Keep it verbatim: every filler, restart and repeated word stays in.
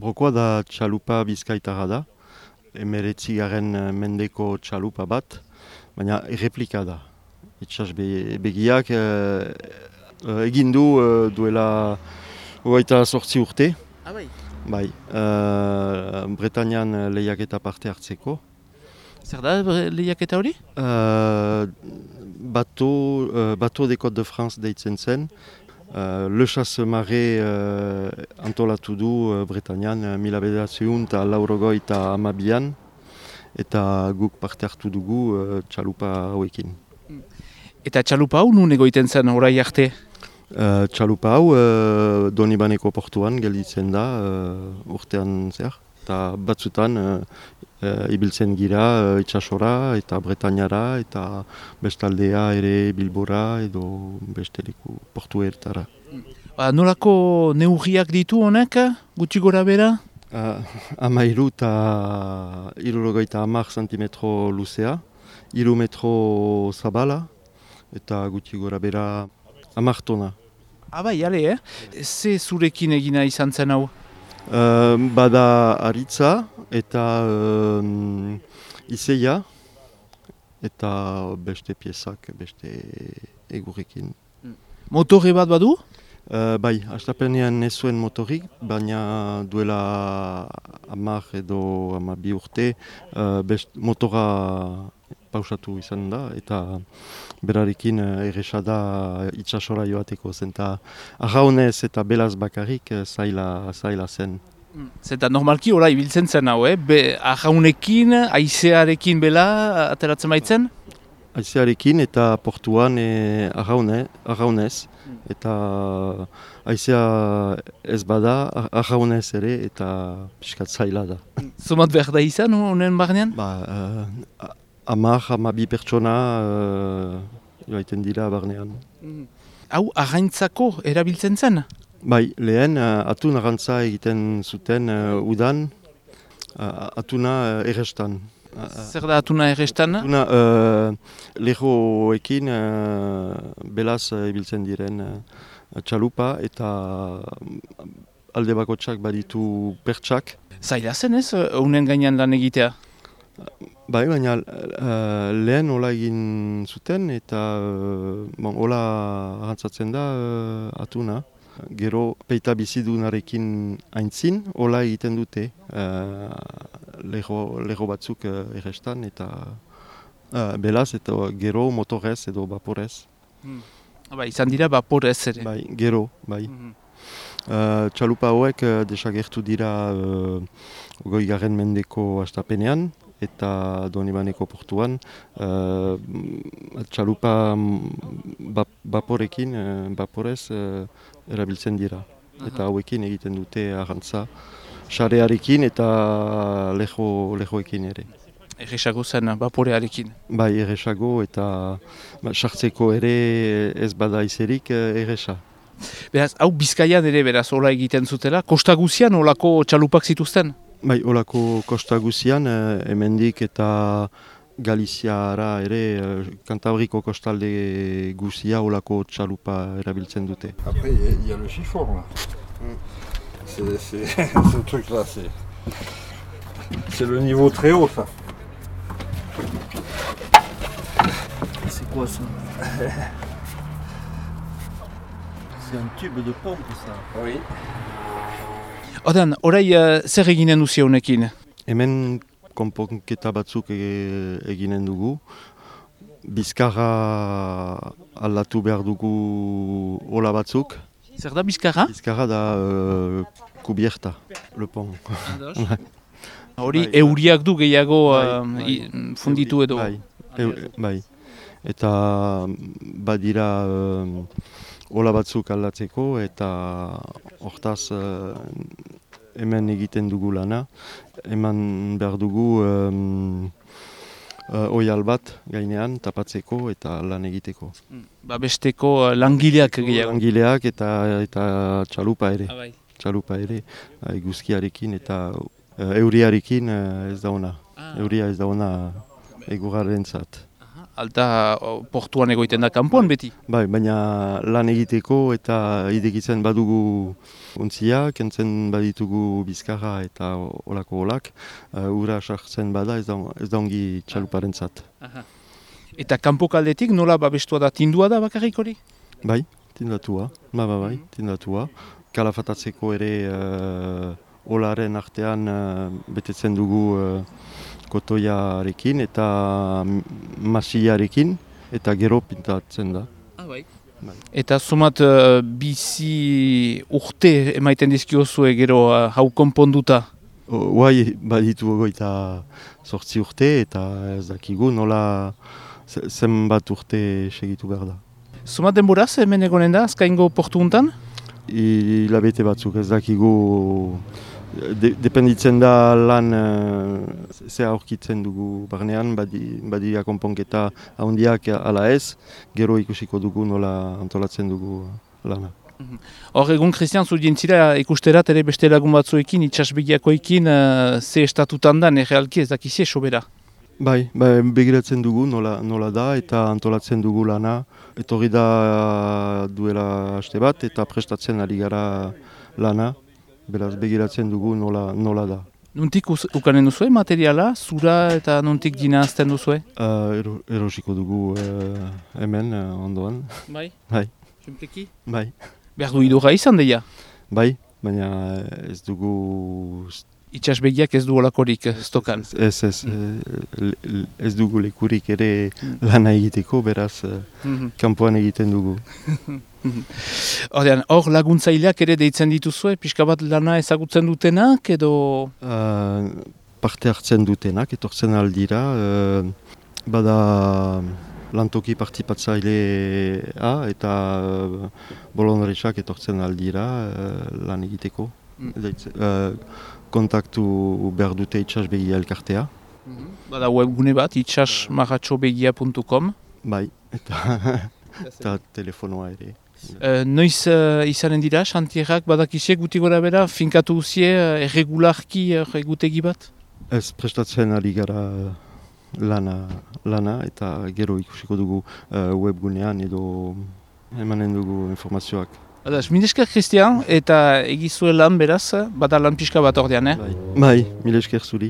Rokoa da txalupa bizkaitarra da, emeretzi garen mendeko txalupa bat, baina erreplika da. Itxas be, begiak eh, egin du eh, duela hogeita zortzi urte. Ah, bai. Bai, uh, Bretañan lehiaketa parte hartzeko. Zer da lehiaketa hori? Uh, bato, uh, bato de Côte de France deitzen zen. Uh, Le Chasse-Marée uh, antolatu du uh, Bretañan uh, mila bederatziehun eta laurogoi eta hamabian. Eta guk parte hartu dugu uh, txalupa hauekin. Eta txalupa hau nun egoiten zen orai arte? Uh, txalupa hau uh, Donibaneko portuan gelditzen da uh, urtean zer. Eta batzutan uh, uh, ibiltzen gira uh, itxasora eta Bretañara eta bestaldea ere Bilbora edo beste leku portuetara. Ba, nolako neurriak ditu honek, gutxi gora bera? Uh, Amairu eta hirurogeita hamar zentimetro luzea, hiru metro zabala eta gutxi gora bera hamar tona. Ah, bai, ale, eh? Ze zurekin egina izan zen hau? Uh, bada aritza eta um, izeia eta beste piezak, beste egurrekin. Motore bat badu? Uh, bai, hastapenean ez zuen motorik, baina duela hamar edo hamabi urte uh, best, motora pausatu izan da eta berarekin uh, erresa da itxasora joateko zen eta arraunez eta belaz bakarrik uh, zaila, zaila zen. Zeta normalki hola ibiltzen zen hau, eh? Be, arraunekin, aizearekin bela ateratzen baitzen? Aizearekin eta portuan e, arraune, arraunez. Eta aizea ez bada, arraunez ere eta pixkat zaila da. Zumat behar da izan honen barnean? Ba, uh, Amar, hamabi pertsona uh, joaiten dira barnean. Hau, arraintzako erabiltzen zen? Bai, lehen uh, atun arrantza egiten zuten uh, udan, uh, atuna uh, errestan. Zer da atuna errestan? Atuna uh, lehoekin uh, belaz uh, ibiltzen diren uh, txalupa eta alde bakotsak baditu pertsak. Zaila zen ez, honen gainean lan egitea? Bai, baina uh, lehen hola egin zuten eta uh, bon, hola arrantzatzen da uh, atuna. Gero peita bizidunarekin aintzin, hola egiten dute uh, leho, leho batzuk uh, errestan eta uh, belaz eta gero motorez edo vaporez. Hmm. Ba, izan dira vaporez ere? Bai, gero, bai. Hmm. Uh, txalupa hauek uh, desagertu dira uh, goi garen mendeko hastapenean eta Donibaneko portuan uh, txalupa bap, vaporekin, uh, vaporez uh, erabiltzen dira. Eta hauekin egiten dute arrantza, xarearekin eta leho, lehoekin ere. Erresago zen vaporearekin? Bai, erresago eta sartzeko ere ez bada izerik erresa. Beraz, hau Bizkaian ere beraz hola egiten zutela, kosta guzian holako txalupak zituzten? Bai, holako kosta guzian, hemendik eta Galiziara ere, Kantabriko kostalde guzia holako txalupa erabiltzen dute. Après, il y a le chiffon, là. C'est, c'est, ce truc-là, c'est, c'est le niveau très haut, ça. C'est quoi ça? C'est un tube de pompe, ça. Oui. Odan, orai uh, zer eginen duzia honekin? Hemen konponketa batzuk e, eginen dugu. Bizkarra aldatu behar dugu hola batzuk. Zer da bizkarra? Bizkarra da uh, kubierta, le pont. Hori euriak du gehiago uh, bai, funditu edo? Bai, e, bai. Eta badira hola uh, batzuk aldatzeko eta hortaz uh, hemen egiten dugu lana. Eman behar dugu um, uh, oial bat gainean tapatzeko eta lan egiteko. Ba besteko uh, langileak gehiago? Langileak eta, eta txalupa ere. Ah, bai. Txalupa ere, eguzkiarekin eta uh, euriarekin uh, ez da ona. Ah. Euria ez da ona egurraren zat. Alta o, portuan egoiten da kanpoan beti. Bai, baina lan egiteko eta idekitzen badugu ontzia, kentzen baditugu bizkarra eta olako olak, uh, ura sartzen bada ez da, ez da ongi txaluparentzat. Eta kanpokaldetik nola babestua da, tindua da bakarrik hori? Bai, tindatua, ba, ba, bai, tindatua. Kalafatatzeko ere uh, olaren artean uh, betetzen dugu uh, kotoiarekin eta masiarekin eta gero pintatzen da. Ah, bai. Bai. Eta sumat uh, bizi urte emaiten dizkiozue gero uh, hau konponduta? Guai, baditu goita sortzi urte eta ez dakigu nola zenbat urte segitu behar da. Sumat denboraz hemen egonen da, azkaingo portu untan? Hilabete batzuk ez dakigu, de, dependitzen da lan uh, ze aurkitzen dugu barnean, badi, badi akonponketa handiak ala ez, gero ikusiko dugu nola antolatzen dugu lana. Hor egun, Christian, zu dientzira ikusterat ere beste lagun batzuekin, itxasbegiakoekin, uh, ze estatutan da, errealki ez dakizie sobera? Bai, bai, begiratzen dugu nola, nola da eta antolatzen dugu lana. Etorri da duela haste bat eta prestatzen ari gara lana. Beraz, begiratzen dugu nola, nola da. Nuntik ukanen duzue materiala, zura eta nuntik dina azten duzue? Uh, ero, erosiko dugu uh, hemen uh, ondoan. Bai? Bai. Simpleki? Bai. Behar du idurra izan deia? Bai, baina ez dugu... Itxasbegiak ez du olakorik stokan? Ez, ez, mm. ez dugu lekurik ere lana egiteko, beraz mm-hmm. kanpoan egiten dugu. Ordean, hor laguntzaileak ere deitzen dituzue, pixka bat lana ezagutzen dutenak edo? Uh, parte hartzen dutenak, etortzen aldira, uh, bada lantoki partipatzailea eta uh, bolondresak etortzen aldira uh, lan egiteko. Mm. Uh, kontaktu behar dute itxasbegia elkartea. Mm-hmm. Bada webgune bat, itxas marratxobegia puntu com. Bai, eta, eta telefonoa ere. Uh, noiz uh, izanen dira, xantierrak badakisiek guti gora bera, finkatu uzie uh, erregularki uh, egutegi bat? Ez prestatzen ari gara lana, lana eta gero ikusiko dugu uh, webgunean edo emanen dugu informazioak. Badaz, milesker Christian, eta egizue lan beraz, bada lan pixka bat ordean, eh? Bai, bai, milesker zuri.